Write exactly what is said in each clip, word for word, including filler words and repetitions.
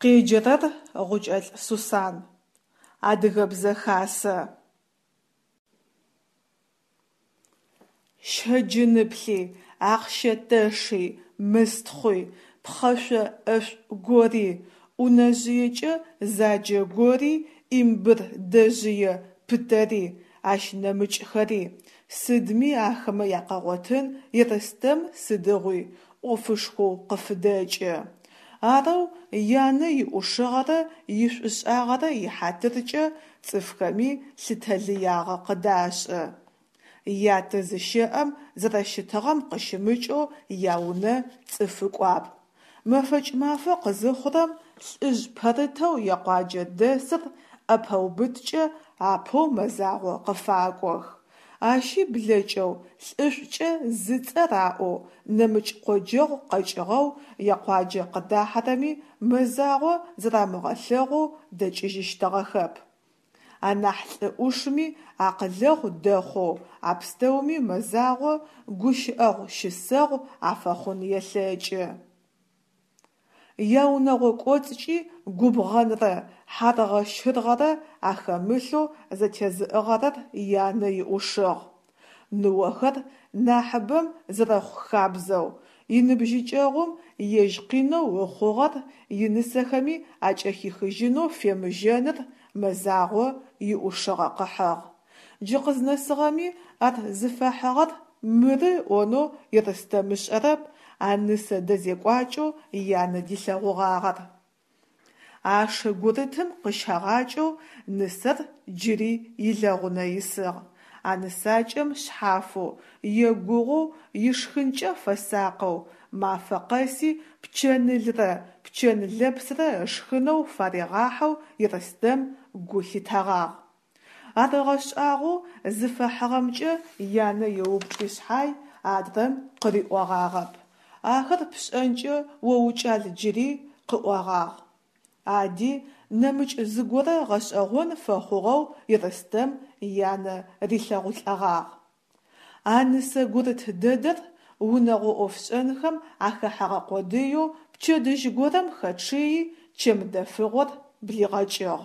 Къеджэрэр Гъукӏэлӏ Сусан. Адыгэбзэ хасэ. Щэджыныплъи, ахъщэ тэши, мыстхъуи, пхъэшъо ӏэшӏу гори, ӏунэжъыекӏэ заджэ гори, имбыр дэжъые пытэри, ащ нэмыкӏхэри – сыдми ахэмэ якъэгъотын Ерстэм сыдигъуи ӏофышхоу къыфыдэкӏы. Арэу янэ иӏушыгъэрэ ишӏушӏагъэрэ ихьатыркӏэ цӏыфхэми лъытэлыягъэ къыдашӏы. Ятэ зыщэӏэм зэрэщытыгъэм къыщымыкӏэу яунэ цӏыфы кӏуапӏ. Мэфэкӏ мафэ къызыхъурэм лӏыжъ пэрытэу якъуаджэ дэсыр ӏэпэубыткӏэ апэу Мэзагъо къыфакӏох. Ащи блэкӏэу лӏышӏукӏэ зыцӏэ раӏоу нэмыкӏ къоджэгъу къэкӏыгъэу якъуаджэ къыдахьэрэми Мэзагъо зэрамыгъэлъэгъоу дэкӏыжьыщтыгъэхэп. Анахь лӏы ӏушми акъылэгъу дэхъоу а пстэуми Мэзагъо гущыӏэгъу-щысэгъу афэхъун елъэкӏы. Яунэгъо кӏоцӏкӏи губгъэнрэ хьаргъэ-щыргъэрэ ахэмылъэу зэтезыӏыгъэрэр янэ иӏушыгъ. Ныохэр нахьыбэм зэрэхъу хабзэу, иныбжьыкӏэгъум ежь къинэу ыхъугъэр инысэхэми акӏэхихыжьынэу фемыжьэныр Мэзагъо иӏушыгъэ къыхьыгъ. Джы къызнэсыгъэми ар зыфэхьыгъэр мыры ыӏонэу Ерстэм ышӏэрэп а нысэ дэзекӏуакӏэу янэ дилъэгъугъагъэр. Аше гурытым къыщэгъакӏэу нысэр джыри илэгъунэ исыгъ. А нысакӏэм шъхьафэу, егугъоу ишхынкӏэ фэсакъэу, мафэ къэси пчэнылрэ пчэн лэпсрэ ышхынэу фаригъахьэу Ерстэм гу лъитэгъагъ. Ар ыгъэшӏагъоу зыфэхьыгъэмкӏэ янэ еупчӏи шъхьай, адрэм къыриӏогъагъэп. «Ахэр пшӏэнкӏэ о укӏал джыри», къыӏогъагъ. Ади нэмыкӏ зыгорэ гъэшӏэгъон фэхъугъэу Ерстэм янэ рилъэгъулӏэгъагъ. А нысэ гурыт дэдэр унэгъо ӏофшӏэнхэм ахэхьэгъэ къодыеу пчэдыжь горэм хэчъыйи чэм дэфыгъор блигъэкӏыгъ.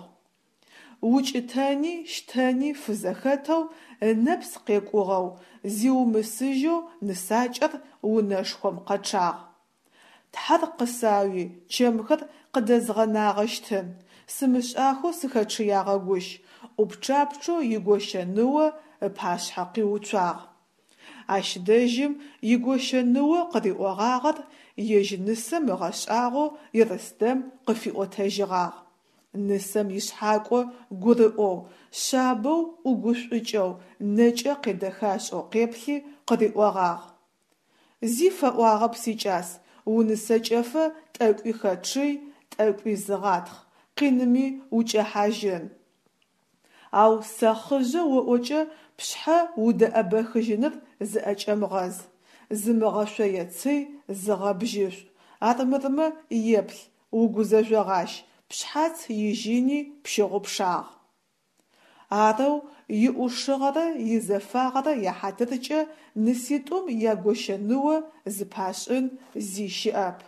Укӏытэни щтэни фызэхэтэу, ынэпс къекӏугъэу, зиумысыжьэу нысакӏэр унэшхом къэчъагъ. «Тхьэр къысауи, чэмхэр къыдэзгъэнагъэщтын, сымышӏахэу сыхэчъыягъэгущ», ӏупчъапчъэу игощэ ныо ыпашъхьэ къиуцуагъ. Ащ дэжьым игощэ ныо къыриӏогъагъэр ежь нысэм ыгъэшӏагъоу Ерстэм къыфиӏотэжьыгъагъ. Нысэм ишъхьакӏо гурыӏоу, шъабэу ӏугушӏукӏэу, нэкӏэ къедэхашӏэу къеплъи къыриӏогъагъ: «Зи фэӏуагъэп, сикӏас, унысэкӏэфэ тӏэкӏуи хэчъый, тӏэкӏуи зыгъатхъ, къиными укӏэхьажьын. Ау сэхъыжъэ оӏокӏэ пшъхьэ удэӏэбэхыжьыныр зыӏэкӏэмыгъэз, зымыгъэшъоецый, зыгъэбжьышӏу, армырмэ еплъ, угузэжъогъащ, пшъхьац ижьыни пщыгъупшагъ». Арэу иӏушыгъэрэ изэфагъэрэ яхьатыркӏэ ныситӏум ягощэ ныо зыпашӏын зи щыӏэп.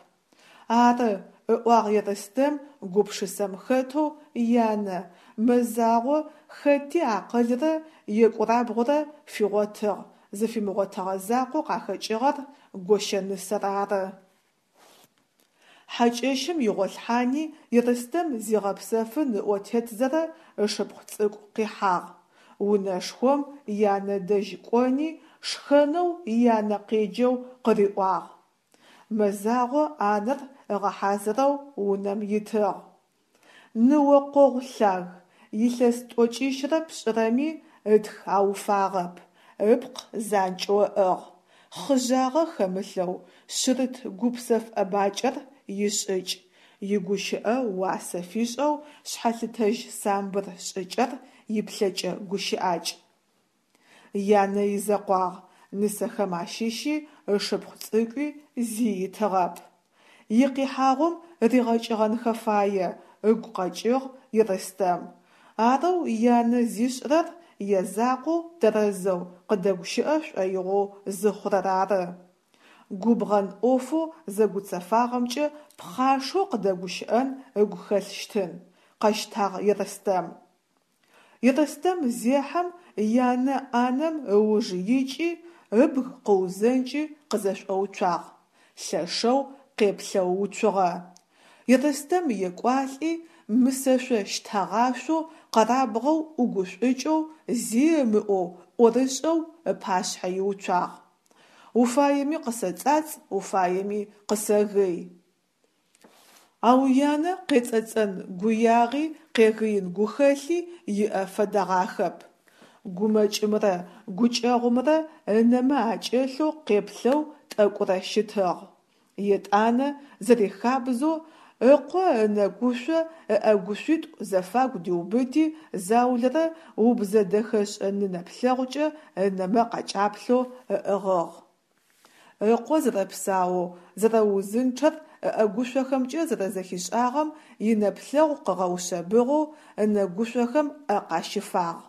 «Ары, – ыӏуагъ Ерстэм гупшысэм хэтэу янэ, – Мэзагъо хэти акъылрэ екӏурабгъурэ фигъотыгъ, зыфимыгъотыгъэ закъоу къахэкӏыгъэр гощэнысэр ары». Хьакӏэщым игъолъхьани Ерстэм зигъэпсэфын ыӏо тетзэрэ ышыпхъу цӏыкӏу къихьагъ. Унэшхом янэ дэжь кӏони шхэнэу янэ къеджэу къыриӏуагъ. Мэзагъо ӏанэр ыгъэхьазырэу унэм итыгъ. Ныо къогъу лъаг, илъэс тӏокӏищрэ пшӏырэми ытх ауфагъэп, ыпкъ занкӏэу ыӏыгъ, хъыжъагъэ хэмылъэу шъырыт гупсэф ӏэбакӏэр ишӏыкӏ, игущыӏэ уасэ фишӏэу шъхьэлъытэжь самбыр шӏыкӏэр иплъэкӏэ-гущыӏакӏ. Янэ изэкъуагъ, нысэхэм ащыщи, ышыпхъу цӏыкӏуи зи итыгъэп. Икъихьагъум ригъэкӏыгъэнхэ фае, ыгу къэкӏыгъ Ерстэм. Арэу янэ зишӏырэр язакъоу тэрэзэу къыдэгущыӏэ шӏоигъоу зыхъурэр ары. Губгъэн ӏофэу зэгуцэфагъэмкӏэ пхъашэу къыдэгущыӏэн ыгу хэлъщтын, къэщтагъ Ерстэм. Ерстэм зехьэм янэ ӏанэм ыуж икӏи, ыбг къыузэнкӏи къызэшӏоуцуагъ, лъэшэу къеплъэу уцугъэ. Ерстэм екӏуалӏи, мысэшъо-щтэгъашъоу, къэрабгъэу ӏугушӏукӏэу, зи ымыӏоу, ӏорышӏэу ыпашъхьэ иуцуагъ. Уфаеми къысэцӏацӏ, уфаеми къысэгый. Ау янэ къецӏэцӏэн гуягъи къегыин гухэлъи иӏэ фэдэгъахэп. Гумэкӏымрэ гукӏэгъумрэ ынэмэ акӏэлъэу къеплъэу тӏэкӏурэ щытыгъ. Етӏанэ, зэрихабзэу, ыкъо ынэгушъо ыӏэгушъуитӏу зэфагу диубыти, заулэрэ убзэ-дэхэшӏэ ны нэплъэгъукӏэ ынэмэ къакӏаплъэу ыӏыгъыгъ. Ыкъо зэрэпсаоу, зэрэузынчъэр ыӏэгушъохэмкӏэ зэрэзэхишӏагъэм инэплъэгъу къыгъэушъэбыгъэу ынэгушъохэм ӏэ къащифагъ.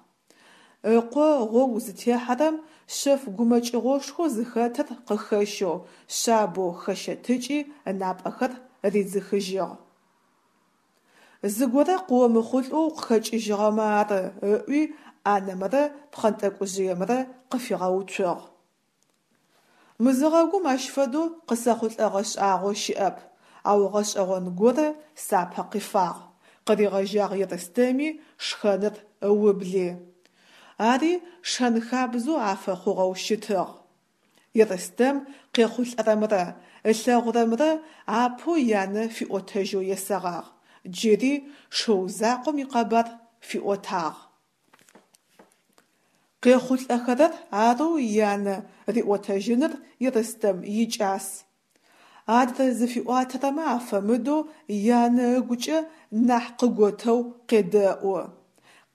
Ыкъо гъогу зытехьэрэм шъэф гумэкӏыгъошхоу зыхэтыр къыхэщэу шъабэу хэщэтыкӏи ынапӏэхэр ридзыхыжьыгъ. Зыгорэ къыомыхъулӏэу укъыхэкӏыжьыгъэмэ ары, ыӏуи ӏанэмрэ пхъэнтӏэкӏужъыемрэ къыфигъэуцугъ. Мызыгъэгум ащ фэдэу къысэхъулӏэгъэ шӏагъо щыӏэп, ау гъэшӏэгъон горэ сапэ къифагъ, къыригъэжьагъ Ерстэми шхэныр ыубли. Ари шэн-хабзэу афэхъугъэу щытыгъ. Ерстэм къехъулӏэрэмрэ ылъэгъурэмрэ апэу янэ фиӏотэжьэу есэгъагъ, джыри шыу закъом икъэбар фиӏотагъ. Къехъулӏэхэрэр арэу янэ риӏотэжьыныр Ерстэм икӏас. Адрэ зыфиӏуатэрэмэ афэмыдэу янэ ыгукӏэ нахь къыготэу къедэӏу.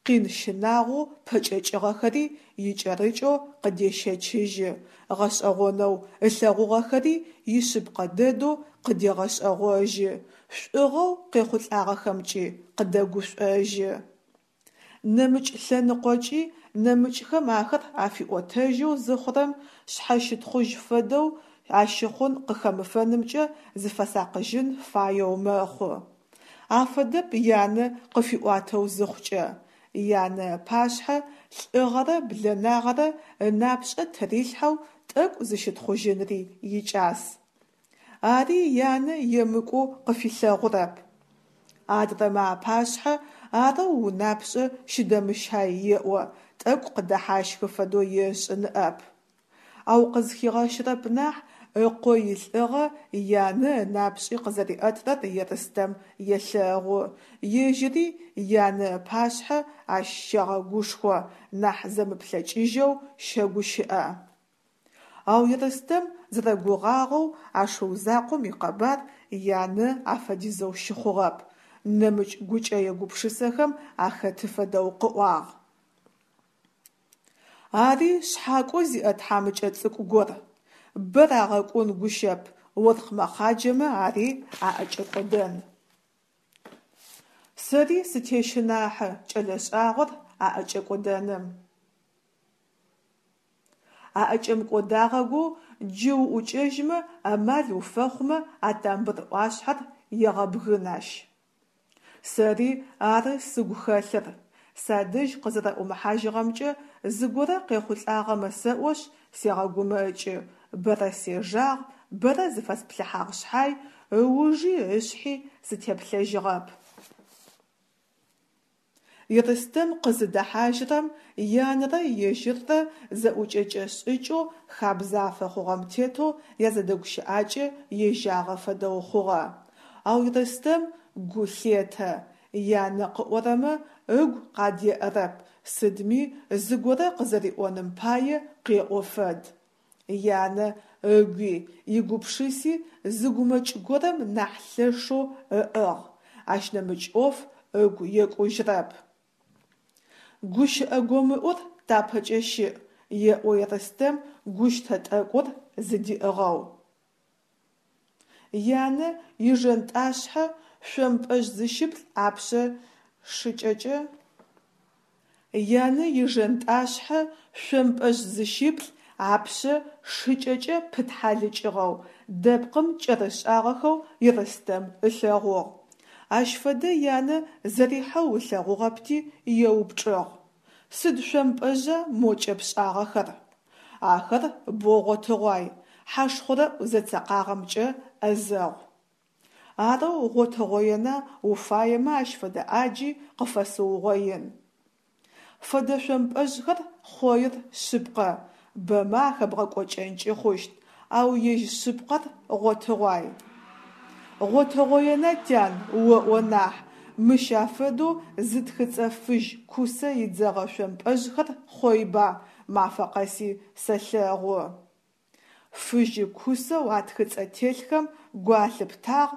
Къин щынагъоу пэкӏэкӏыгъэхэри икӏэрыкӏэу къыдещэчыжьы, гъэшӏэгъонэу ылъэгъугъэхэри ишъыпкъэ дэдэу къыдегъэшӏэгъожьы, шӏугъэу къехъулӏагъэхэмкӏи къыдэгушӏожьы. Нэмыкӏ лъэныкъокӏи нэмыкӏхэм ахэр афиӏотэжьэу зыхъурэм шъхьэщытхъужь фэдэу ащыхъун къыхэмыфэнымкӏэ зыфэсакъыжьын фаеу мэхъу. Афэдэп янэ къыфиӏуатэу зыхъукӏэ. Янэ ыпашъхьэ лӏыгъэрэ блэнагъэрэ ынапшӏэ тырилъхьэу тӏэкӏу зыщытхъужьынри икӏас. Ари янэ емыкӏоу къыфилъэгъурэп. Адрэмэ апашъхьэ арэу унапшӏэ щыдэмыщай еӏо, тӏэкӏу къыдэхьащхы фэдэу ешӏы ныӏэп. Ау къызхигъэщырэп нахь, ыкъо илӏыгъэ янэ ынапшӏи къызэриӏэтырэр Ерстэм елъэгъу, ежьыри янэ ыпашъхьэ ащ щегъэгушхо, нахь зэмыплъэкӏыжьэу щэгущыӏэ. Ау Ерстэм зэрэгугъагъэу а шыу закъом икъэбар янэ афэдизэу щыхъугъэп, нэмыкӏ гукӏэе-гупшысэхэм ахэты фэдэу къыӏуагъ. Ари шъхьакӏо зиӏэ тхьамыкӏэ цӏыкӏу гор. Бэ рагъэкӏун гущэп, оркъ мэхъаджэмэ ари аӏэкӏэкӏодэн. Сэри сытещынахьы кӏэлэ шӏагъор аӏэкӏэкӏодэным. Аӏэкӏэмыкӏодагъэгоу джы уӏукӏэжьмэ амал уфэхъумэ а тамбыр ӏуашъхьэр егъэбгын ащ. Сэри ары сыгу хэлъыр. Садэжь къызэрэӏумыхьажьыгъэмкӏэ зыгорэ къехъулӏагъэмэ сэӏошъ сегъэгумэкӏы, бэрэ сежагъ, бэрэ зыфэсплъыхьагъ шъхьай, ыужи ышъхьи сытеплъэжьыгъэп. Ерстэм къызыдэхьажьырэм янэрэ ежьыррэ зэӏукӏэкӏэ шӏыкӏэу хабзэ афэхъугъэм тетэу язэдэгущыӏакӏэ ежьагъэ фэдэу хъугъэ. Ау Ерстэм гу лъетэ: янэ къыӏорэмэ ыгу къадеӏэрэп, сыдми зыгорэ къызэриӏоным пае къеӏо фэд. Янэ ыгуи игупшыси зы гумэкӏ горэм нахь лъэшэу ыӏыгъ, ащ нэмыкӏ ӏоф ыгу екӏужьырэп. Гущыӏэ гомыӏур тапэкӏэ щыӏ, еӏо Ерстэм гущтэ тӏэкӏур зыдиӏыгъэу. Янэ ижэнтӏашъхьэ шъомпӏэжъ зыщыплӏ апшъэ шыкӏэкӏэ Янэ ижэнтӏашъхьэ шъомпӏэжъ зыщыплӏ апшъэ шыкӏэкӏэ пытхьалыкӏыгъэу, дэпкъым кӏэрышӏагъэхэу Ерстэм ылъэгъугъ. Ащ фэдэ янэ зэрихьэу ылъэгъугъэпти, еупчӏыгъ: Сыд шъомпӏэжъа мо кӏэпшӏагъэхэр? Ахэр бо гъотыгъуай, хьашхъурэӏу зэцэкъагъэмкӏэ ӏэзэгъу. Арэу гъотыгъоена, уфаемэ ащ фэдэ ӏаджи къыфэсыугъоин. Фэдэ шъомпӏэжъхэр хъоир шъыпкъэ, бэмэ ахэбгъэкӏокӏэнкӏи хъущт, ау ежь шъыпкъэр гъотыгъуай. Гъотыгъоена, тян, оӏо нахь, мыщ афэдэу зытхыцӏэ фыжь кусэ идзэгъэ шъомпӏэжъхэр хъойба, мафэ къэси сэлъэгъу. Фыжьы кусэу атхыцӏэ телъхэм гу алъыптагъ,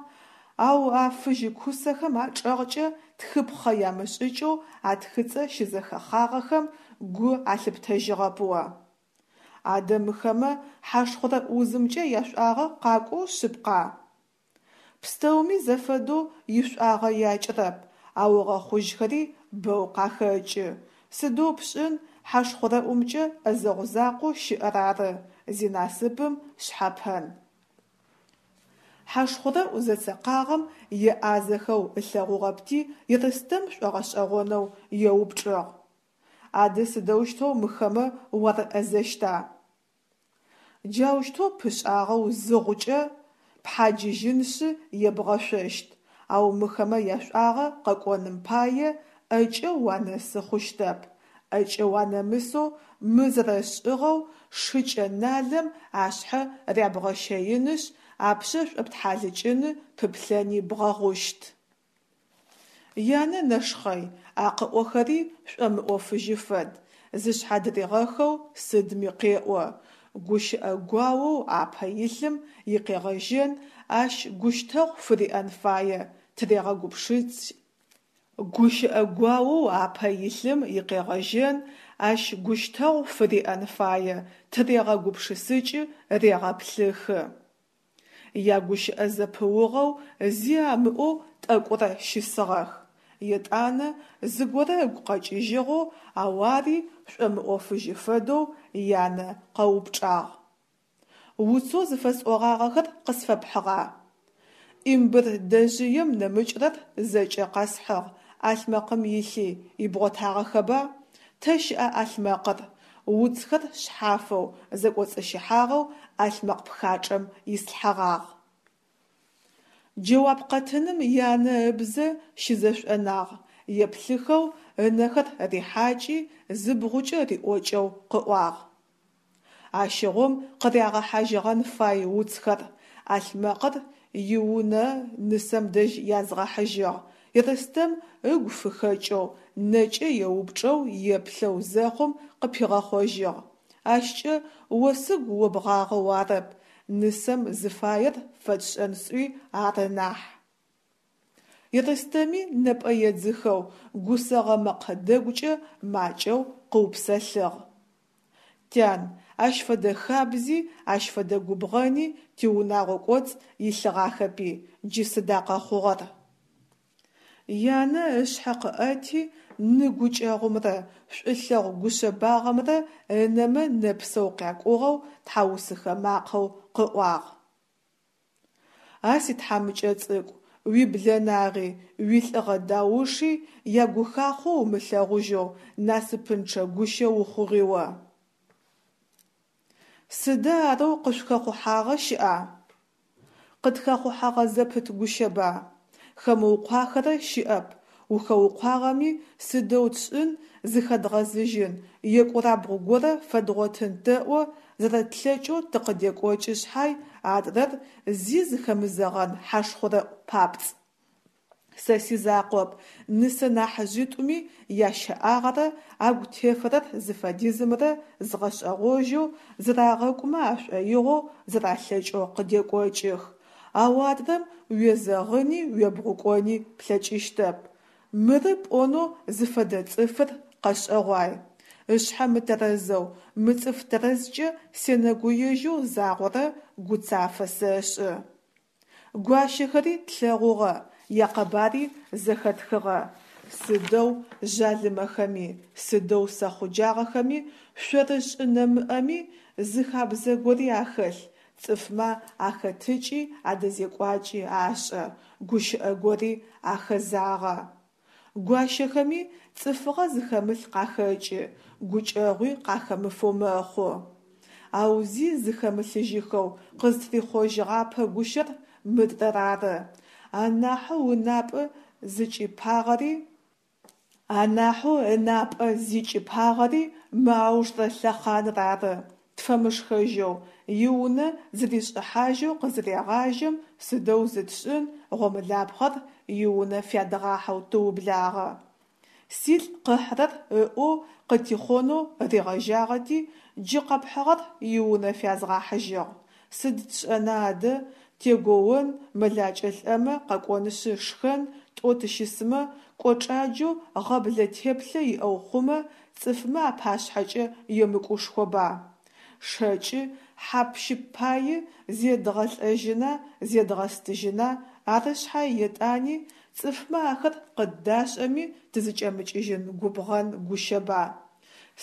ау а фыжьы кусэхэм ачӏэгъкӏэ тхыпхъэ ямышӏыкӏэу атхыцӏэ щызэхэхъагъэхэм гу алъыптэжьыгъэп о. Адэ мыхэмэ хьашхъурэӏу узымкӏэ яшӏуагъэ къакӏоу шъыпкъа? Пстэуми зэфэдэу ишӏуагъэ якӏырэп, ау ыгъэхъужьхэри бэу къахэкӏы. Сыдэу пшӏын, хьашхъурэӏумкӏэ ӏэзэгъу закъоу щыӏэр ары, зинасыпым шъхьэпэн. Хьашхъурэӏу зэцэкъагъэм еӏазэхэу ылъэгъугъэпти, Ерстэм шӏогъэшӏэгъонэу еупчӏыгъ: Адэ сыдэущтэу мыхэмэ уарыӏэзэщта? Джаущтэу пышӏагъэу зыгъукӏэ, пхьаджыжьынышъ ебгъэшъощт, ау мыхэмэ яшӏуагъэ къэкӏоным пае ӏэкӏэ уанэсы хъущтэп. ӏэкӏэ уанэмысэу мы зэрэшӏыгъэу шыкӏэ налэм ашъхьэ рябгъэщэинышъ, апшъэ шӏоптхьалыкӏыны, пыплъэни бгъэгъущт. Янэ нэшхъэй, а къыӏохэри шӏомыӏофыжьы фэд, зышъхьадыригъэхэу сыдми къеӏо. Гущыӏэ гуаоу апэ илъым икъегъэжьэн ащ гущтэгъу фыриӏэн фае тырегъэгупшысыкӏы. Гущыӏэ гуаоу апэ илъым икъегъэжьэн ащ гущтэгъу фыриӏэн фае, тырегъэгупшысыкӏы, регъэплъыхы. Ягущыӏэ зэпыугъэу зи амыӏоу тӏэкӏурэ щысыгъэх. Етӏанэ зыгорэ ыгу къэкӏыжьыгъэу, ау ари шӏомыӏофыжьы фэдэу янэ къэупчӏагъ: Уцэу зыфэсӏогъагъэхэр къысфэпхьыгъа? Имбыр дэжъыем нэмыкӏрэр зэкӏэ къэсхьыгъ, ӏалъмэкъым илъи, ибгъотагъэхэба? Тэ щыӏа ӏалъмэкъыр? Уцхэр шъхьафэу, зэкӏоцӏыщыхьагъэу ӏалъмэкъ пхачӏэм ислъхьэгъагъ. Джэуап къэтыным янэ ыбзэ щызэшӏонагъ, еплъыхэу ынэхэр рихьакӏи, зыбгъукӏэ риӏокӏэу къыӏуагъ: Ащыгъум къырягъэхьажьыгъэн фай уцхэр, ӏалъмэкъыр иунэ нысэм дэжь язгъэхьыжьыгъ, Ерстэм ыгу фыхэкӏэу, нэкӏэ еупчӏэу еплъэу зэхъум къыпигъэхъожьыгъ: Ащкӏэ о сыгу обгъагъэу арэп, нысэм зыфаер фэтшӏэн сӏуи ары нахь. Ерстэми нэпӏэ едзыхэу, гусэгъэ мэкъэ дэгукӏэ макӏэу къыупсэлъыгъ: Тян, ащ фэдэ хабзи, ащ фэдэ губгъэни тиунагъо кӏоцӏ илъыгъахэпи, джы сыда къэхъугъэр? Янэ ышъхьэ къыӏэти, ны гукӏэгъумрэ шӏулъэгъу гушъэбагъэмрэ ынэмэ нэпсэу къякӏугъэу тхьаусыхэ макъэу къыӏуагъ: А ситхьамыкӏэ цӏыкӏу, уиблэнагъи, уилӏыгъэ дауши ягухахъо умылъэгъужьэу насыпынчъэ гущэ ухъугъи о. Сыда арэу къышъухэхъухьагъэ щыӏа? Къытхэхъухьэгъэ зэпыт гущэба. Хэмыукъуахэрэ щыӏэп, ухэукъуагъэми, сыдэу тшӏын, зыхэдгъэзыжьын, екӏурабгъу горэ фэдгъотын тэӏо, зэрэтлъэкӏэу тыкъыдекӏокӏы шъхьай, адрэр зи зыхэмызэгъэн хьашхъурэӏу папцӏ. Сэ сизакъоп, нысэ нахьыжъитӏуми ящэӏагъэрэ агу тефэрэр зыфэдизымрэ згъэшӏэгъожьэу, зырагъэкӏумэ ашӏоигъоу зэралъэкӏэу къыдекӏокӏых, ау адрэм уезэгъыни уебгъукӏони плъэкӏыщтэп. Мыры пӏонэу зыфэдэ цӏыфыр къэшӏэгъуай. Ышъхьэ мытэрэзэу, мыцӏыф тэрэзкӏэ сенэгуежьэу загъорэ гуцафэ сэшӏы. Гуащэхэри тлъэгъугъэ, якъэбари зэхэтхыгъэ. Сыдэу жъалымэхэми, сыдэу сэхъуджагъэхэми, шъорышӏы нэмыӏэми, зы хабзэ гори ахэлъ, цӏыфмэ ахэтыкӏи адэзекӏуакӏи ашӏэ, гущыӏэ гори ахэзагъэ. Гуащэхэми цӏыфыгъэ зыхэмылъ къахэкӏы, гукӏэгъуи къахэмыфэу мэхъу. Ау зи зыхэмылъыжьыхэу къызтрихъожьыгъапэ гущэр мыдрэр ары. Анахьэу ынапӏэ зыкӏипагъэри Анахьэу ынапӏэ зикӏипагъэри мы аужрэ лъэхъаныр ары, тфэмышхэжьэу, иунэ зыришӏыхьажьэу къызырегъажьэм, сыдэу зытшӏын, гъомылапхъэр иунэ фядгъахьэу тыублагъэ. Силӏ къыхьрэр ыӏоу къытихъонэу ригъэжьагъэти, джы къэпхьыгъэр иунэ фязгъахьыжьыгъ. Сыд тшӏэна адэ, тегоон, мэлакӏэ лӏэмэ къэкӏонышъы шхэн, тӏоу тыщысмэ, кӏочӏаджэу гъэблэ теплъэ иӏэу хъумэ, цӏыфмэ апашъхьэкӏэ емыкӏушхоба. Шэкӏы хьап-щып паий зедгъэлӏэжьына зедгъэстыжьына, ары шъхьай етӏани, цӏыфмэ ахэр къыддашӏэми тызыкӏэмыкӏыжьын губгъэн гущэба.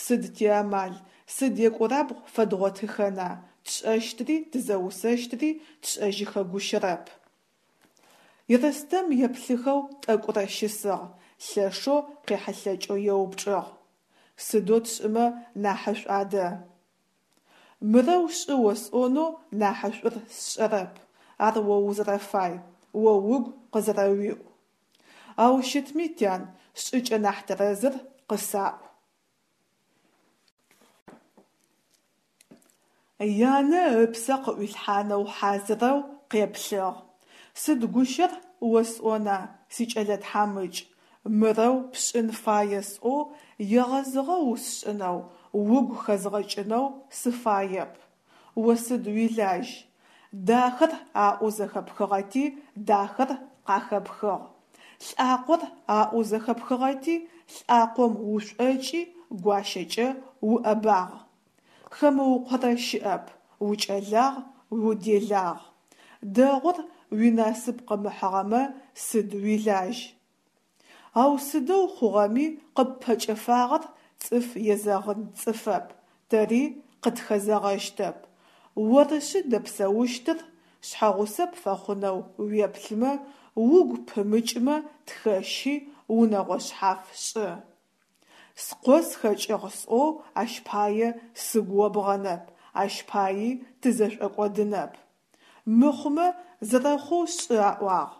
Сыд тиамал, сыд екӏурабгъу фэдгъотыхэна, тшӏэщтри тызэусэщтри тшӏэжьыхэгущэрэп. Ерстэм еплъыхэу тӏэкӏурэ щысыгъ, лъэшэу къехьылъэкӏэу еупчӏыгъ: «Сыдэу тшӏымэ нахьышӏу адэ?» «Мырэу шӏы осӏонэу нахьышӏур сшӏэрэп, ар о узэрэфай, о угу къызэрэуиӏу. Ау щытми, тян, шӏыкӏэ нахь тэрэзыр къысаӏу». Янэ ыпсэ къыӏуилъхьанэу хьазырэу къеплъыгъ: «Сыд гущэр осӏона, сикӏэлэ тхьамыкӏ, мырэу пшӏын фае сӏоу егъэзыгъэ усшӏынэу, угу хэзгъэкӏынэу сыфаеп. О сыд уилажь? Дахэр аӏоу зэхэпхыгъэти дахэр къахэпхыгъ. Лӏакъор аӏоу зэхэпхыгъэти лӏакъом ушӏокӏи гуащэкӏэ уӏэбагъ. Хэмыукъорэ щыӏэп, укӏэлагъ, уделагъ. Дэгъур уинасып къымыхьыгъэмэ сыд уилажь? Ау сыдэу хъугъэми къыппэкӏэфагъэр цӏыф езэгъын цӏыфэп, тэри къытхэзэгъэщтэп. Орышъы дэпсэущтыр, шъхьэгъусэ пфэхъунэу уеплъымэ, угу пымыкӏмэ тхэщи унэгъо шъхьаф шӏы. Скъо схэкӏыгъ сӏоу ащ пае сыгу обгъэнэп, ащ паий тызэшӏокӏодынэп. Мыхъумэ зэрэхъоу шӏы аӏуагъ.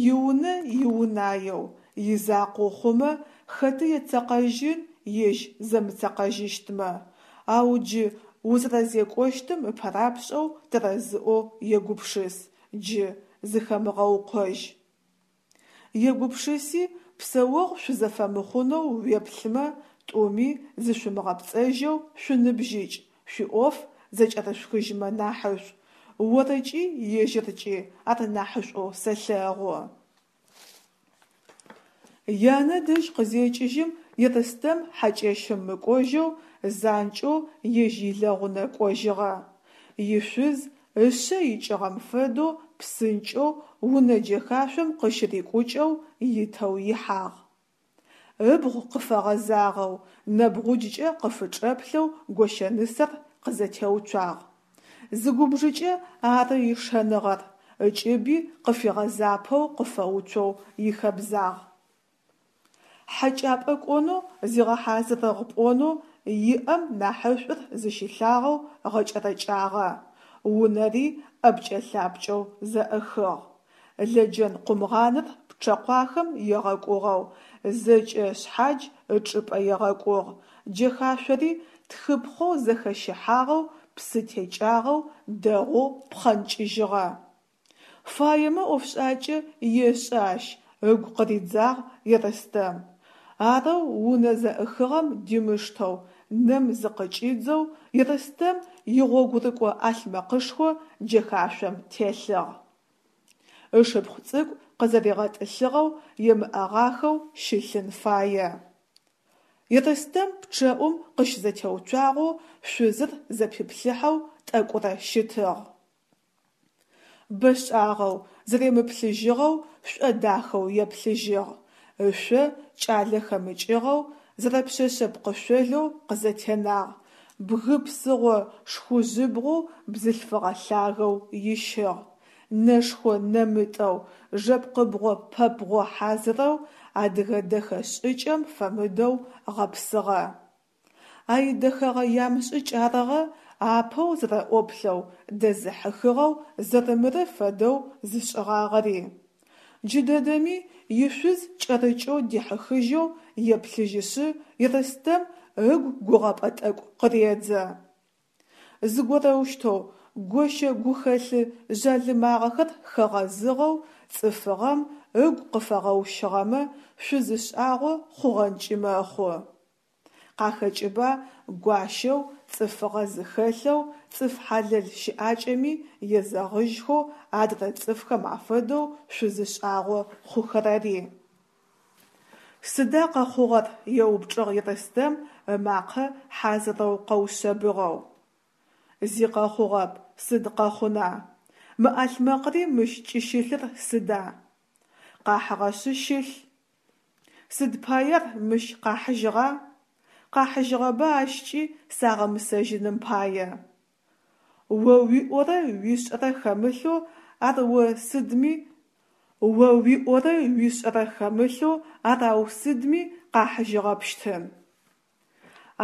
Иунэ иунаеу, изакъоу хъумэ хэты ецэкъэжьын ежь зэмыцэкъэжьыщтмэ, ау джы узэрэзекӏощтым ыпэрапшӏэу тэрэзыӏоу егупшыс, джы зыхэмыгъэукъожь. Егупшыси псэогъу шъузэфэмыхъунэу уеплъымэ, тӏуми зышъумыгъэпцӏэжьэу шъуныбжьыкӏ, шъуиӏоф зэкӏэрышъухыжьмэ нахьышӏу, орыкӏи ежьыркӏи ар нахьышӏоу сэлъэгъу. Янэ дэжь къызекӏыжьым Ерстэм хьакӏэщым мыкӏожьэу занкӏэу ежь илэгъунэ кӏожьыгъэ. Ишъуз ышъэ икӏыгъэм фэдэу псынкӏэу унэ джэхашъом къыщырикӏукӏэу итэу ихьагъ. Ыбгъу къыфэгъэзагъэу, нэбгъуджкӏэ къыфычӏэплъэу гощэнысэр къызэтеуцуагъ. Зыгубжыкӏэ ары ишэныгъэр, ыкӏыби къыфигъэзапэу къыфэуцоу ихэбзагъ. Хьэкӏапӏэ кӏонэу зигъэхьазырыгъ пӏонэу иӏэм нахьышӏур зыщилъагъэу гъэкӏэрэкӏагъэ. Унэри ӏэпкӏэ-лъапкӏэу зэӏыхыгъ. Лэджэн-къумгъаныр пчъэкъуахэм егъэкӏугъэу, зэкӏэ шъхьадж ычӏыпӏэ егъэкӏугъ, джэхашъори тхыпхъэу зэхэщыхьагъэу, псы текӏагъэу, дэгъоу пхъэнкӏыжьыгъэ. Фаемэ ӏофшӏакӏэ ешӏэ ащ, ыгу къыридзагъ Ерстэм. Арэу унэ зэӏыхыгъэм димыштэу, нэм зыкъыкӏидзэу Ерстэм игъогурыкӏо ӏалъмэкъышхо джэхашъом телъыгъ. Ышыпхъу цӏыкӏу къызэригъэтӏылъыгъэу емыӏэгъахэу щылъын фае. Ерстэм пчъэӏум къыщызэтеуцуагъэу шъузыр зэпиплъыхьэу тӏэкӏурэ щытыгъ. Бэшӏагъэу зэремыплъыжьыгъэу шӏодахэу еплъыжьыгъ. Ышъо кӏалэ хэмыкӏыгъэу, зэрэпшъэшъэ пкъышъолэу къызэтенагъ, бгы псыгъо шхужьыбгъоу бзылъфыгъэ лъагэу ищыгъ. Нэшхо-нэмытӏэу, жэпкъыбгъо-пэбгъо хьазырэу, адыгэ дэхэ шӏыкӏэм фэмыдэу гъэпсыгъэ. А идэхэгъэ ямышӏыкӏ арыгъэ апэу зэрэӏоплъэу дэзыхьыхыгъэу зэрэмыры фэдэу зышӏыгъагъэри. Джыдэдэми ишъуз кӏэрыкӏэу дихьыхыжьэу еплъыжьышъы Ерстэм ыгу гугъэпӏэ тӏэкӏу къыредзэ. Зыгорэущтэу, гощэ гухэлъы жъалымагъэхэр хэгъэзыгъэу цӏыфыгъэм ыгу къыфэгъэущыгъэмэ, шъузы шӏагъо хъугъэнкӏи мэхъу. Къахэкӏыба гуащэу, цӏыфыгъэ зыхэлъэу, цӏыф хьалэл щыӏакӏэми езэгъыжьхэу адрэ цӏыфхэм афэдэу шъузы шӏагъо хъухэрэри. Сыда къэхъугъэр? – еупчӏыгъ Ерстэм ымакъэ хьазырэу къэушъэбыгъэу. Зи къэхъугъэп, сыд къэхъуна? Мы ӏалъмэкъри мыщ кӏыщылъыр сыда? Къахьыгъэшъы щылъ. Сыд пае ар мыщ къахьыжьыгъа? Къахьыжьыгъэба ащкӏи сагъэмысэжьыным пае. О уиӏорэ уишӏэрэ хэмылъэу ар о сыдми о уиӏорэ уишӏэрэ хэмылъэу ар ау сыдми къахьыжьыгъэпщтын.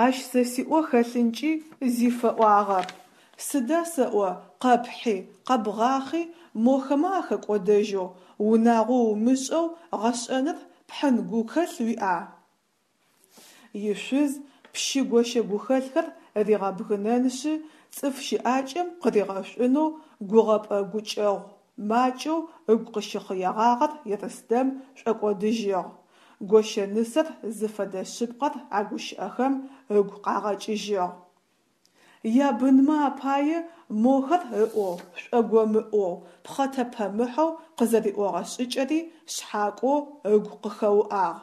Ащ сэ сиӏо хэлъынкӏи зи фэӏуагъэп. Сыда сэӏо къэпхьи, къэбгъахъи мохэмэ ахэкӏодэжьэу, унагъо умышӏэу гъэшӏэныр пхьын гухэлъ уиӏа? Ишъуз пщы гощэ гухэлъхэр ригъэбгынэнышъы цӏыф щыӏакӏэм къыригъэшӏунэу гугъэпӏэ гукӏэгъу макӏэу ыгу къыщыхъыегъагъэр Ерстэм шӏокӏодыжьыгъ, гощэ нысэр зыфэдэ шъыпкъэр а гущыӏэхэм ыгу къагъэкӏыжьыгъ. Ябынмэ апае мохэр ыӏоу шӏогомыӏоу, пхъэтэпэмыхьэу къызэриӏогъэ шӏыкӏэри шъхьакӏоу ыгу къыхэуӏагъ.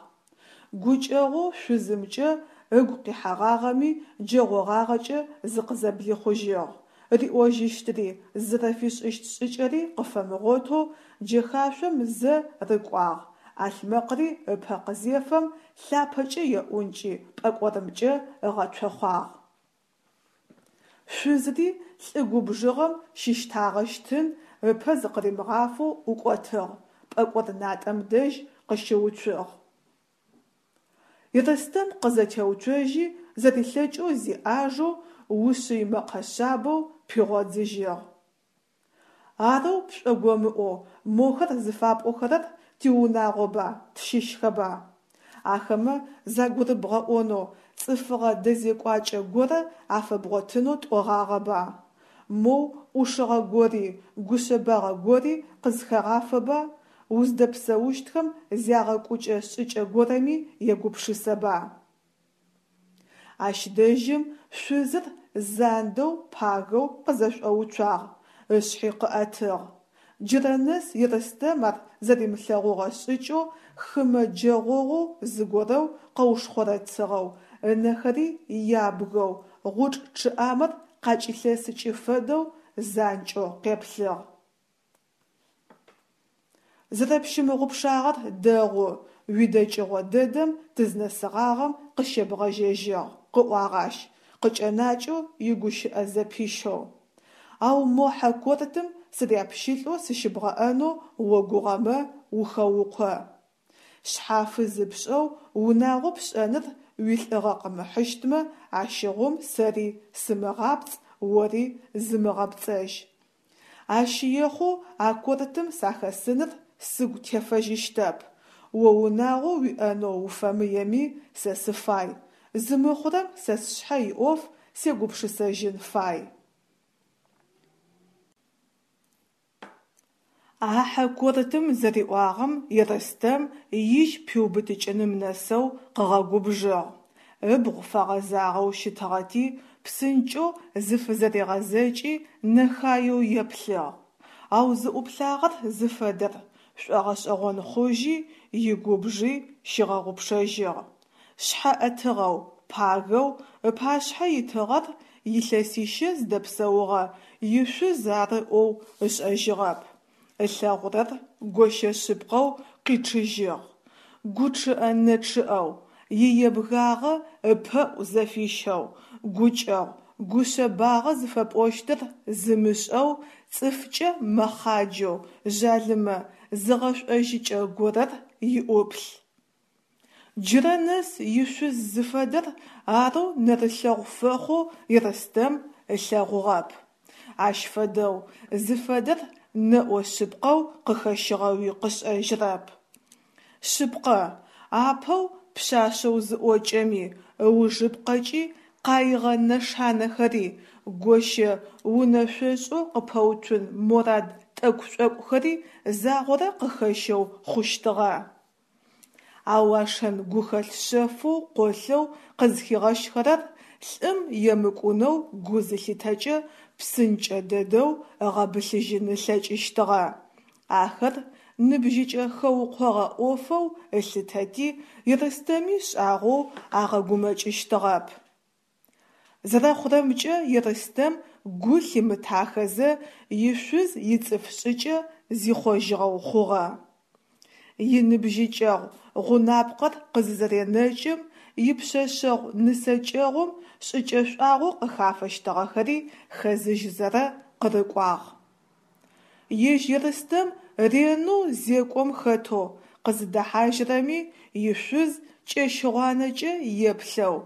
Гукӏэгъоу шъузымкӏэ ыгу къихьэгъагъэми джэгъогъагъэкӏэ зыкъызэблихъужьыгъ, риӏожьыщтыри, зызэрэфишӏыщт шӏыкӏэри къыфэмыгъотэу джэхашъом зэ рыкӏуагъ, ӏалъмэкъри ыпэ къызефэм, лъапэкӏэ еӏункӏи, пӏэкӏорымкӏэ ыгъэцохъуагъ. Шъузри лӏы губжыгъэм щыщтагъэщтын, ыпэ зыкъыримыгъафэу ӏукӏотыгъ, пӏэкӏор натӏэм дэжь къыщыуцугъ. Ерстэм къызэтеуцожьи, зэрилъэкӏэу зиӏажэу, ушъый мэкъэ шъабэу пигъодзыжьыгъ: «Арэу пшӏогомыӏоу мохэр зыфапӏохэрэр тиунагъоба, тщыщхэба? Ахэмэ загурыбгъэӏонэу, цӏыфыгъэ дэзекӏуакӏэ горэ афэбгъотынэу тӏогъагъэба? Моу ӏушыгъэ гори, гушъэбагъэ гори къызхэгъафэба, уздэпсэущтхэм зягъэкӏукӏэ шӏыкӏэ горэми егупшысэба?» Ащ дэжьым шъузыр зандэу пагэу къызэшӏоуцуагъ, ышъхьи къыӏэтыгъ. Джырэ нэс Ерстэм ар зэримылъэгъугъэ шӏыкӏэу хымэ джэгъогъоу зыгорэу къэушхъорэцыгъэу, ынэхэри ябгэу, гъучӏ чъыӏамэр къакӏилъэсыкӏы фэдэу занкӏэу къеплъыгъ. Зэрэпщымыгъупшагъэр дэгъу, уидэкӏыгъо дэдэм тызнэсыгъагъэм къыщебгъэжьэжьыгъ, къыӏуагъ ащ, къыкӏэнакӏэу игущыӏэ зэпищэу. Ау мо хьэ кортым сыряпщылӏэу сыщыбгъэӏэнэу огугъэмэ, ухэукъо. Шъхьафы зыпшӏэу унагъо пшӏэныр уилӏыгъэ къымыхьыщтмэ, ащыгъум сэри сымыгъапцӏ, ори зымыгъэпцӏэжь. Ащ ехъоу а кортым сахэсыныр сыгу тефэжьыщтэп. О унагъо уиӏэнэу уфэмыеми, сэ сыфай. Зымыхъурэм сэ сшъхьэ иӏоф сегупшысэжьын фай. А хьэ кортым зэриӏуагъэм Ерстэм ижь пиубытыкӏыным нэсэу къыгъэгубжыгъ. Ыбгъу фэгъэзагъэу щытыгъэти, псынкӏэу зыфызэригъэзэкӏи нэхаеу еплъыгъ. Ау зыӏуплъагъэр зыфэдэр шӏогъэшӏэгъон хъужьи, игубжи щигъэгъупшэжьыгъ. Шъхьэ ӏэтыгъэу, пагэу ыпашъхьэ итыгъэр илъэсищэ зыдэпсэугъэ ишъуз ары ӏоу ышӏэжьыгъэп. Ылъэгъурэр гощэ шъыпкъэу къичъыжьыгъ. Гу чъыӏэ-нэ чъыӏэу, иебгагъэ ыпэӏу зэфищэу, гукӏэгъу, гушъэбагъэ зыфэпӏощтыр зымышӏэу, цӏыфкӏэ мэхъаджэу, жъалымэ зыгъэшӏожьыкӏэ горэр иӏуплъ. Джырэ нэс ишъуз зыфэдэр арэу нэрылъэгъу фэхъоу Ерстэм ылъэгъугъэп. Ащ фэдэу, зыфэдэр нэӏо шъыпкъэу къыхэщыгъэуи къышӏэжьырэп. Шъыпкъэ, апэу пшъашъэу зыӏокӏэми, ыужыпкъэкӏи къаигъэ нэшанэхэри, гощэ унэшъошӏэу къыпэуцун морад тӏэкӏу-шӏокӏухэри загъорэ къыхэщэу хъущтыгъэ. Ау а шэн-гухэлъ шъэфэу къолъэу къызхигъэщхэрэр лӏым емыкӏунэу гу зылъитэкӏэ псынкӏэ дэдэу ыгъэбылъыжьын ылъэкӏыщтыгъэ. Ахэр ныбжьыкӏэ хэукъогъэ ӏофэу ылъытэти, Ерстэми шӏагъоу агъэгумэкӏыщтыгъэп. Зэрэхъурэмкӏэ, Ерстэм гу лъимытахэзэ ишъуз ицӏыф шӏыкӏэ зихъожьыгъэу хъугъэ. Иныбжьыкӏэгъу гъунапкъэр къызызэренэкӏым, ипшъэшъэгъу-нысэкӏэгъум шӏыкӏэшӏуагъэу къыхафэщтыгъэхэри хэзыжьызэрэ къырыкӏуагъ. Ежь Ерстэм ренэу зекӏом хэтэу къызыдэхьажьырэми ишъуз кӏэщыгъуанэкӏэ еплъэу,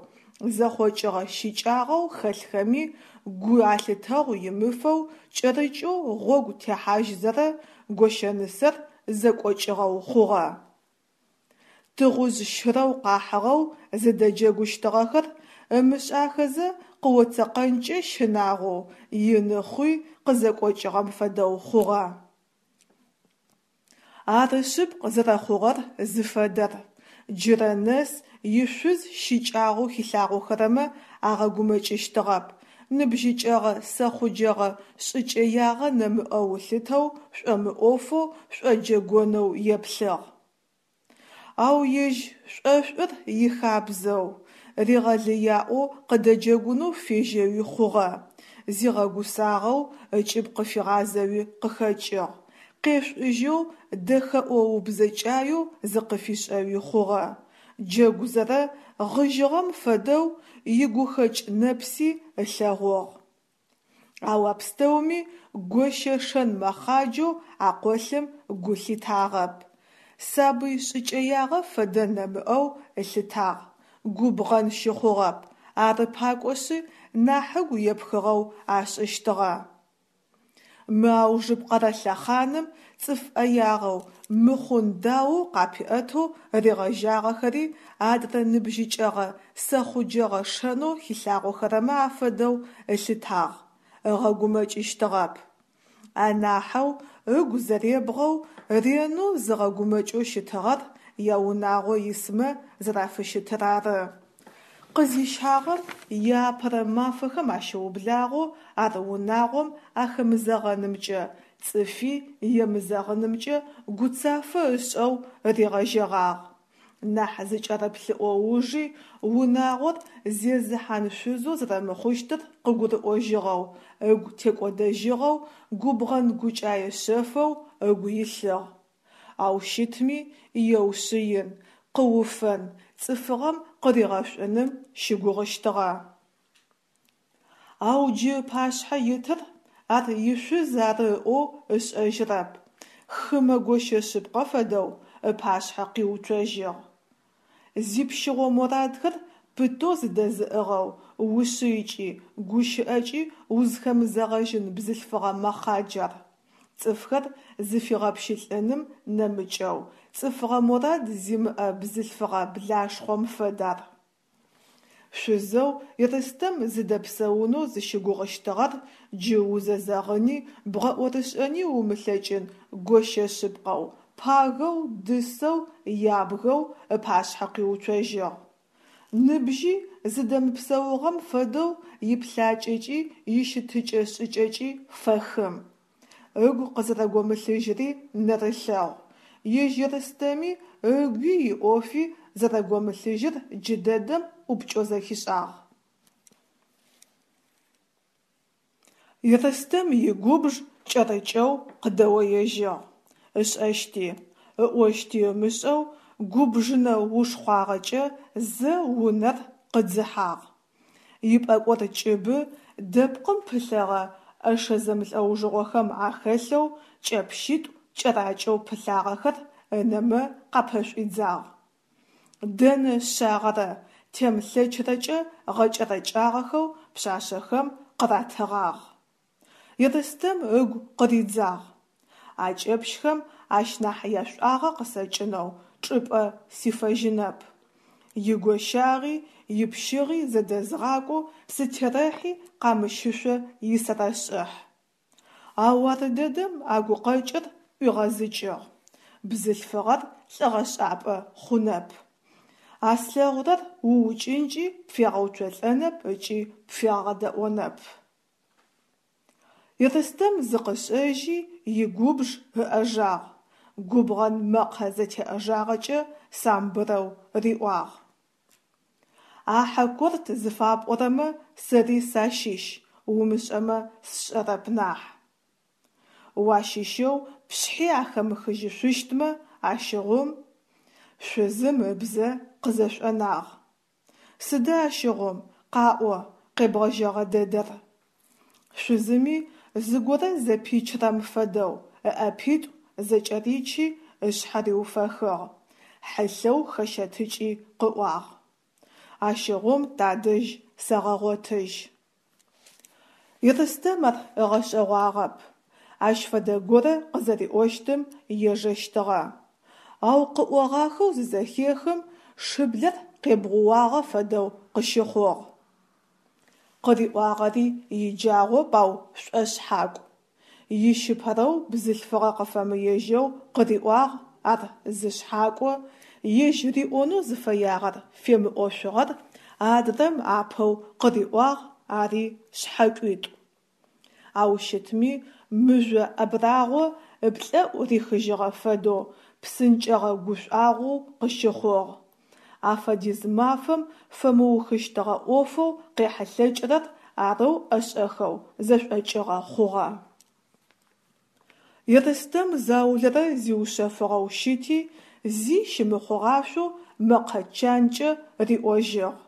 зэхъокӏыгъэ щыкӏагъэу хэлъхэми гу алъытэгъу имыфэу кӏэрыкӏэу гъогу техьажьызэрэ гощэнысэр зэкӏокӏыгъэу хъугъэ. Тыгъужъ щырэу къахьыгъэу зыдэджэгущтыгъэхэр ымышӏахэзэ къыоцэкъэнкӏэ щынагъоу ины хъуи къызэкӏокӏыгъэм фэдэу хъугъэ. Ары шъыпкъ зэрэхъугъэр зыфэдэр. Джырэ нэс ишъуз щыкӏагъэу хилъагъохэрэмэ агъэгумэкӏыщтыгъэп, ныбжьыкӏэгъэ сэхъуджэгъэ шӏыкӏэягъэ нэмыӏэу ылъытэу шӏомыӏофэу, шӏоджэгонэу еплъыгъ. Ау ежь шӏошӏур ихабзэу, ригъэлыяӏоу къыдэджэгунэу фежьэуи хъугъэ, зигъэгусагъэу ыкӏыб къыфигъазэуи къыхэкӏыгъ, къешӏужьэу дэхэӏо-убзэкӏаеу зыкъыфишӏэуи хъугъэ, джэгузэрэ гъыжьыгъэм фэдэу игухэкӏ нэпси ылъэгъугъ. Ау а пстэуми гощэ шэн мэхъаджэу акъолъым гу лъитагъэп. Сабый шӏыкӏэягъэ фэдэ нэмыӏэу ылъытагъ, губгъэн щыхъугъэп, ары пакӏошъы нахь ыгу епхыгъэу ашӏыщтыгъэ. Мы аужыпкъэрэ лъэхъаным цӏыф ӏэягъэу, мыхъун даоу къапиӏэтэу ригъэжьагъэхэри адрэ ныбжьыкӏэгъэ сэхъуджэгъэ шэнэу хилъагъохэрэмэ афэдэу ылъытагъ, ыгъэгумэкӏыщтыгъэп. Анахьэу ыгу зэребгъэу, ренэу зыгъэгумэкӏэу щытыгъэр яунагъо исмэ зэрафыщытыр ары. Къызищагъэм иапэрэ мафэхэм ащыублагъэу ар унагъом ахэмызэгъэнымкӏэ, цӏыфи емызэгъынымкӏэ гуцафэ ышӏэу ригъэжьэгъагъ. Нахь зыкӏэрэплъыӏо ужи унагъор зезыхьан шъузэу зэрэмыхъущтыр къыгурыӏожьыгъэу, ыгу текӏодэжьыгъэу, губгъэн гукӏае шъэфэу ыгу илъыгъ. Ау щытми еушъыин, къыуфэн, цӏыфыгъэм къыригъэшӏуным щыгугъыщтыгъэ. Ау джы ыпашъхьэ итыр ар ишъуз ары ыӏоу ышӏэжьырэп, хымэ гощэ шъыпкъэ фэдэу ыпашъхьэ къиуцожьыгъ. Зипщыгъо мурадхэр пытэу зыдэзыӏыгъэу, ушъыйкӏи, гущыӏэкӏи узхэмызэгъэжьын бзылъфыгъэ мэхъадж ар. Цӏыфхэр зыфигъэпщылӏыным нэмыкӏэу, цӏыфыгъэ морад зимыӏэ бзылъфыгъэ блашхъом фэд ар. Шъузэу Ерстэм зыдэпсэунэу зыщыгугъыщтыгъэр джы узэзэгъыни бгъэӏорышӏэни умылъэкӏын гощэ шъыпкъэу, пагэу, дысэу, ябгэу ыпашъхьэ къиуцожьыгъ. Ныбжьи зыдэмыпсэугъэм фэдэу иплъакӏэкӏи ищытыкӏэ-шӏыкӏэкӏи фэхым. Ыгу къызэрэгомылъыжьыри нэрылъэгъу. Ежь Ерстэми ыгуи иӏофи зэрэгомылъыжьыр джыдэдэм ӏупкӏэу зэхишӏагъ. Ерстэм игубж кӏэрыкӏэу къыдэоежьыгъ. Ышӏэщти, ыӏощти ымышӏэу Губжынэ ушхъуагъэкӏэ зэ унэр къыдзыхьагъ. Ипӏэкӏор кӏыбы дэпкъым пылъэгъэ ӏэшэ зэмлӏэужыгъохэм ахэлъэу кӏэпщитӏу кӏэракӏэу пылъагъэхэр ынэмэ къапэшӏуидзагъ. Дэнэ шъагъэрэ темлъэчрэкӏэ гъэкӏэрэкӏагъэхэу пшъашъэхэм къыратыгъагъ. Ерстэм ыгу къыридзагъ: «А кӏэпщхэм ащ нахь яшӏуагъэ къысэкӏынэу чӏыпӏэ сифэжьынэп. Игощагъи ипщыгъи зэдэзгъакӏоу сытерэхьи къамыщышъо исэрэшӏыхь». Ау ардэдэм а гукъэкӏыр ӏуигъэзыкӏыгъ: «Бзылъфыгъэр лӏыгъэшӏапӏэ хъунэп. А слъэгъурэр уукӏынкӏи пфегъэуцолӏэнэп ыкӏи пфегъэдэӏонэп». Ерстэм зыкъышӏэжьи, игубж ыӏэжагъ, губгъэн мэкъэ зэтеӏэжагъэкӏэ самбырэу риӏуагъ: «А Хьакорт зыфапӏорэмэ сэри сащыщ, умышӏэмэ сшӏэрэп нахь». «Уащыщэу пшъхьи ахэмыхыжьышъущтмэ, ащыгъум…» Шъузым ыбзэ къызэшӏонагъ. «Сыда ащыгъум, къаӏо, къебгъэжьэгъэ дэдэр?» Шъузыми зыгорэ зэпичырэм фэдэу ыӏэпитӏу зэкӏэричи ышъхьэ риуфэхыгъ, хьылъэу хэщэтыкӏи къыӏуагъ: «Ащыгъум тадэжь сэгъэгъотыжь». Ерстэм ар ыгъэшӏэгъуагъэп. Ащ фэдэ горэ къызэриӏощтым ежэщтыгъэ. Ау къыӏогъахэу зызэхехым, шыблэр къебгъууагъэ фэдэу къыщыхъугъ. Къыриӏуагъэри иджагъоп, ау шӏошъхьакӏу. Ищыпэрэу бзылъфыгъэ къыфэмыежьэу къыриӏуагъ, ар зы шъхьакӏо, ежь риӏонэу зыфэягъэр фемыӏошъугъэр адрэм апэу къыриӏуагъ, ари шъхьэкӏуитӏу. Ау щытми мыжъо абрагъо ыплӏэӏу рихыжьыгъэ фэдэу псынкӏэгъэ гушӏуагъоу къыщыхъугъ. Афэдиз мафэм фэмыухыщтыгъэ ӏофэу къехьылъэкӏырэр арэу ӏэшӏэхэу зэшӏокӏыгъэ хъугъэ. Ерстэм заулэрэ зиушъэфыгъэу щыти, зи щымыхъугъашъоу мэкъэ чанкӏэ риӏожьыгъ: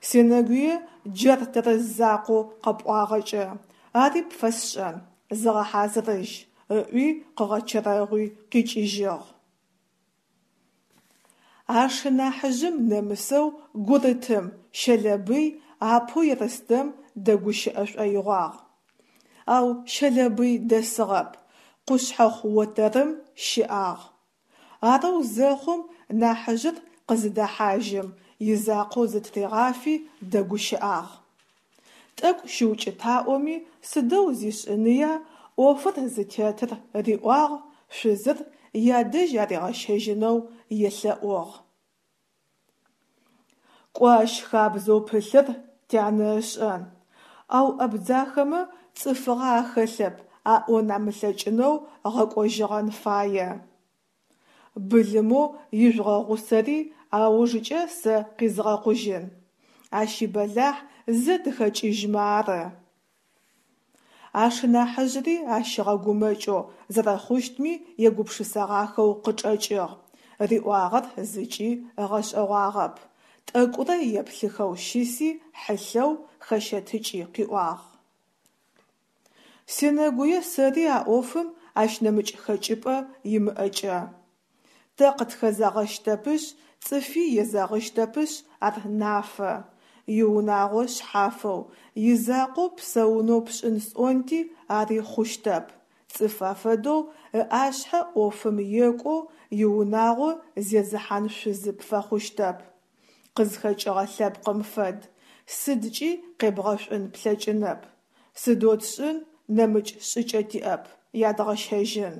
«Сенэгуе джар тэрэз закъоу къэпӏуагъэкӏэ. Ари пфэсшӏэн, зыгъэхьазырыжь», – ыӏуи къыгъэчэрэгъуи къикӏыжьыгъ. Ашынахьыжъым нэмысэу гурытым, Щэлэбый, апэу Ерстэм дэгущыӏэ шӏоигъуагъ. Ау Щэлэбый дэсыгъэп, къушъхьэхъу отэрым щыӏагъ. Арэу зэхъум нахьыжъыр къызыдэхьажьым изакъоу зытыригъафи дэгущыӏагъ. Тӏэкӏу щыукӏытаӏоми, сыдэу зишӏыныя, ӏофыр зытетыр риӏуагъ, шъузыр ядэжь аригъэщэжьынэу елъэӏугъ. Кӏо ащ хабзэу пылъыр тянэ ышӏэн, ау абдзахэмэ цӏыфыгъэ ахэлъэп аӏон амылъэкӏынэу гъэкӏожьыгъэн фае. Былымэу ижъугъэгъусэри аужыкӏэ сэ къизгъэкъужьын. Ащ ибэлахь зэ тыхэкӏыжьмэ ары. Ашынахьыжъри ащ ыгъэгумэкӏэу, зэрэхъущтми егупшысэгъахэу къычӏэкӏыгъ, риӏуагъэр зыкӏи ыгъэшӏэгъуагъэп, тӏэкӏурэ еплъыхэу щыси хьылъэу хэщэтыкӏи къыӏуагъ: «Сенэгуе сэри а ӏофым ащ нэмыкӏ хэкӏыпӏэ имыӏэкӏэ. Тэ къытхэзэгъэщтэпышъ, цӏыфи езэгъыщтэпышъ ар нафэ. Иунагъо шъхьафэу, изакъоу псэунэу пшӏын сӏонти, ари хъущтэп. Цӏыф афэдэу ыӏашъхьэ ӏофым екӏоу иунагъо зезыхьан шъузы пфэхъущтэп. Къызхэкӏыгъэ лъэпкъым фэд, сыдкӏи къебгъэшӏун плъэкӏынэп. Сыдэу тшӏын, нэмыкӏ шӏыкӏэ тиӏэп, ядгъэщэжьын.